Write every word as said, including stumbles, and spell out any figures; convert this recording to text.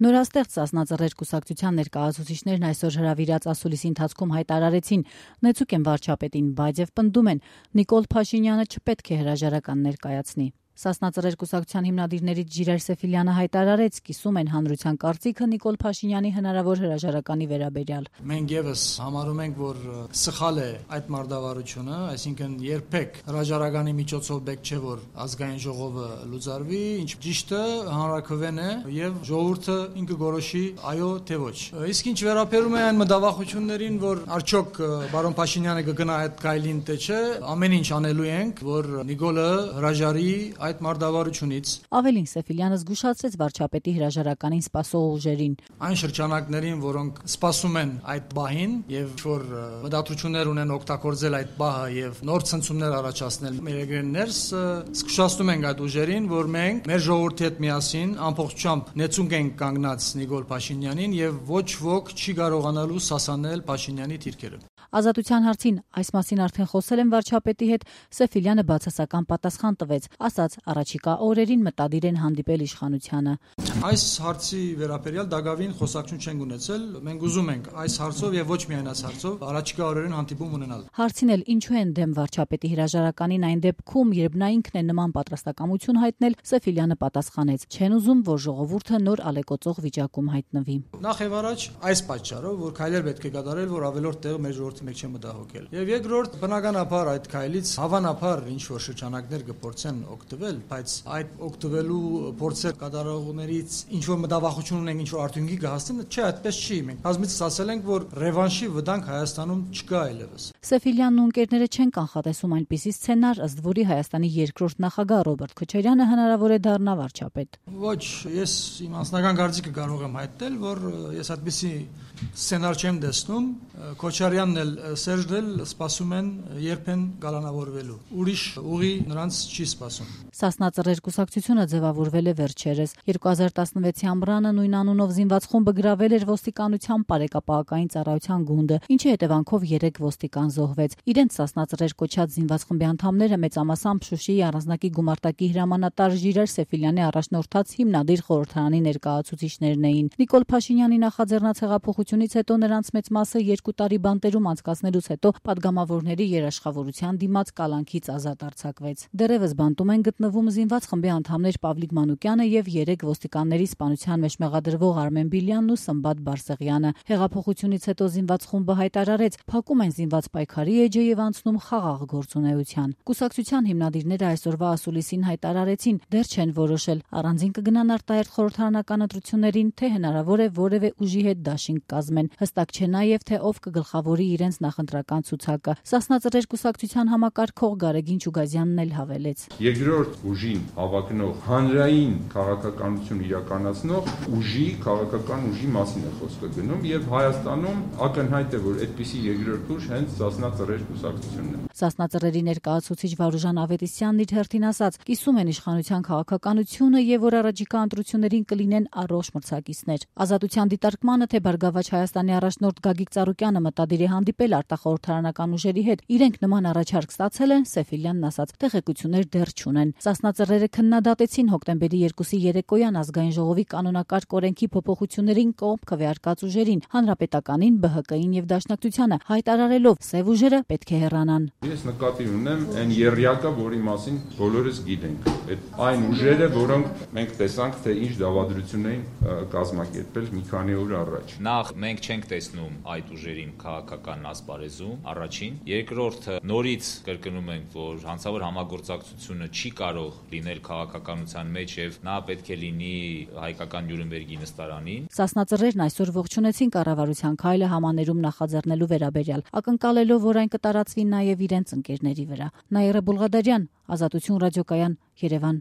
Նորաստեղծ Սասնածռեր կուսակցության ներկայացուցիչներն այսօր հրավիրած ասուլիսի ընթացքում հայտարարեցին, նեցուկ են վարչապետին, բայց եւ պնդում են, Նիկոլ Փաշինյանը չպետք է հրաժարական ներկայացնի։ Սասնածռեր կուսակցության հիմնադիրներից Ժիրայր Սեֆիլյանը հայտարարեց, կիսում են հանրության կարծիքը Նիկոլ Փաշինյանի հնարավոր հրաժարականի վերաբերյալ։ Մենք եւս համարում ենք, որ սխալ է այդ մարտավարությունը, այսինքն երբեք հրաժարականի միջոցով պետք չէ, որ ազգային ժողովը լուծարվի, ինչ ճիշտը հանրաքվեն է եւ ժողովուրդը ինքը որոշի այո թե ոչ։ Իսկ ինչ վերաբերում է այն մտավախություններին, որ արդյոք բարոն Փաշինյանը կգնա այդ գայլին թե չէ, ամեն ինչ անելու ենք, որ Նիկոլը հրաժարի այդ մարտավարությունից։ Ավելին Սեֆիլյանը զգուշացրեց վարչապետի հրաժարականին սպասող ուժերին։ Այն շրջանակներին, որոնք սպասում են այդ բահին եւ որ մտադրություններ ունեն օգտագործել այդ բահը եւ նոր ցնցումներ առաջացնել մեր երկրներս, զգուշացնում ենք այդ ուժերին, որ մենք մեր ժողովրդի հետ միասին ամբողջությամբ նեցունք ենք կանգնած Նիկոլ Փաշինյանին եւ ոչ ոք չի կարողանալու սասանել Փաշինյանի թիրքերը։ Ազատության հարցին այս մասին արդեն խոսել են վարչապետի հետ, Սեֆիլյանը բացասական պատասխան տվեց, ասաց առաջիկա օրերին մտադիր են հանդիպել իշխանությանը։ Այս հարցի վերաբերյալ դակավին խոսակցություն չենք ունեցել, մենք ուզում ենք այս հարցով եւ ոչ միայն այս հարցով առաջիկա օրերին հանդիպում ունենալ։ Հարցին էլ ինչու են դեմ վարչապետի հրաժարականին այն դեպքում, երբ նա ինքն է նման պատրաստակամություն հայտնել, Սեֆիլյանը պատասխանեց. չեն ուզում, որ ժողովուրդը նոր ալեկոծող վիճակում հայտնվի։ Նախ եւ առաջ այս պատճառով, որ քայլեր պետք է կատարել, որ ավելորդ տեղ մեր ժողովրդի մեջ չմտահոգել։ Եվ երկրորդ, բնականաբար այդ քայլից հավանաբար ինչ որ շրջանակներ կփորձեն օգտվել, բայց այդ օգտվելու փորձեր կատարողներից ինչ որ մտավախություն ունենք, ինչ որ արդյունքի կհասնեն, չէ, այդպես չի։ Մենք բազմիցս ասել ենք, որ ռևանշի վտանգ Հայաստանում չկա այլևս։ Սեֆիլյանն ու ընկերները չեն կանխատեսում այնպիսի սցենար, ըստ որի Հայաստանի երկրորդ նախագահ Ռոբերտ Քոչարյանը հնարավոր է դառնա վարչապետ։ Ոչ, ես իմ անձնական կարծիքը կարող եմ հայտնել, որ ես այդպիսի սցենար չեմ տեսնում։ Քոչարյանն էլ Սերժն էլ սպասում են երբ են գալանավորվելու։ Ուրիշ ուղի նրանց չի սպասում։ Սասնածռեր կուսակցությունը ձևավորվել է վերջերս։ երկու հազար տասնվեցի ամռանը նույն անունով զինված խումբը գրավել էր ոստիկանության բարեկապահական ծառայության գունդը, ինչի հետևանքով երեք ոստիկան զոհվեց։ Իրենց Սասնածռեր կոչած զինված խմբի անդամները մեծամասամբ Շուշիի առանձնակի գումարտակի հրամանատար Ժիրայր Սեֆիլյանի առաջնորդած հիմնադիր խորհրդարանի ներկայացուցիչներն էին։ Նիկոլ Փաշինյանի նախաձեռնած հեղափոխությունից հետո նրանց մեծ մասը երկու տարի բանտերում անցկացնելուց հետո падգամավորների երաշխավորության դիմաց կալանքից ազատ արձակվեց։ Դեռևս բանտում են գտնվում զինված խմբի անդամներ Պավլիկ Մանուկյանը եւ երեք ոստիկանների սպանության մեջ մեղադրվող Արմեն Բիլյանն ու Սմբատ Բարսեղյանը։ Հեղափոխությունից հետո զինված խումբը հայտարարեց, փակում են զինված պայքարի էջը եւ անցնում խաղաղ գործունեության։ Կուսակցության հիմնադիրները այսօրվա ասուլիսին հայտարարեցին, դեռ չեն որոշել առանձին կգնան արտահերթ խորհրդարանական ընտրություններին, թե հնարավոր է որևէ ուժի հետ դաշինք կազմեն։ Հստակ չէ նաեւ թե ով կգլխավորի իրենց նախընտրական ցուցակը։ Սասնածռեր կուսակցության համակարգող Գարեգին Չուգազյանն էլ հավելեց. Երկրորդ ուժին հավակնող հանրային քաղաքականություն իրականացնող ուժի քաղաքական ուժի մասին է խոսքը գնում եւ Հայաստանում ակնհայտ է, որ այդպիսի երկրորդ ուժ հենց Սասնածռեր կուսակցությունն է։ Սասնածռերի ներկայացուցիչ Վարուժան Ավետիսյանն իր հերթին ասաց. կիսում են իշխանության քաղաքականությունը եւ որ առաջիկա ընտրություններին կլինեն առողջ մրցակիցներ։ Ազատության դիտարկմանը, թե Բարգավաճ Հայաստանի առաջնորդ Գագիկ Ծառուկյանը մտադիր է հանդիպել արտախորհրդարանական ուժերի հետ, իրենք նման առաջարկ ստացել են, Սեֆիլյանն ասաց, տեղեկություններ դեռ չունեն։ Սասնածռերը քննադատեցին հոկտեմբերի երկուսի երեկոյան ազգային ժողովի կանոնակարգ օրենքի փոփոխություններին կողմ քվեարկած ուժերին, հանրապետականին, B H K-ին եւ Դաշնակցությանը, հայտարարելով սև ուժերը պետք է հեռանան։ Ես նկատի ունեմ այն երյակը, որի մասին բոլորս գիտենք։ Այդ այն ուժերը, որոնք մենք տեսանք, թե ինչ դավադրություն էին կազմակերպել մի քանի օր առաջ։ Նախ մենք չենք տեսնում այդ ուժերին քաղաքական ասպարեզում, առաջին, երկրորդը նորից կրկնում ենք, որ հանցավոր համագործակցությունը չի կարող լինել քաղաքականության մեջ եւ նա պետք է լինի հայկական Նյուրնբերգի նստարանին։ Սասնածռերն այսօր ողջունեցին կառավարության քայլը համաներում նախաձեռնելու վերաբերյալ, ակնկալելով, որ այն կտարածվի նաեւ իրենց ընկերների վրա։ Նաիրա Բուլղադարյան, Ազատություն ռադիոկայան, Երևան։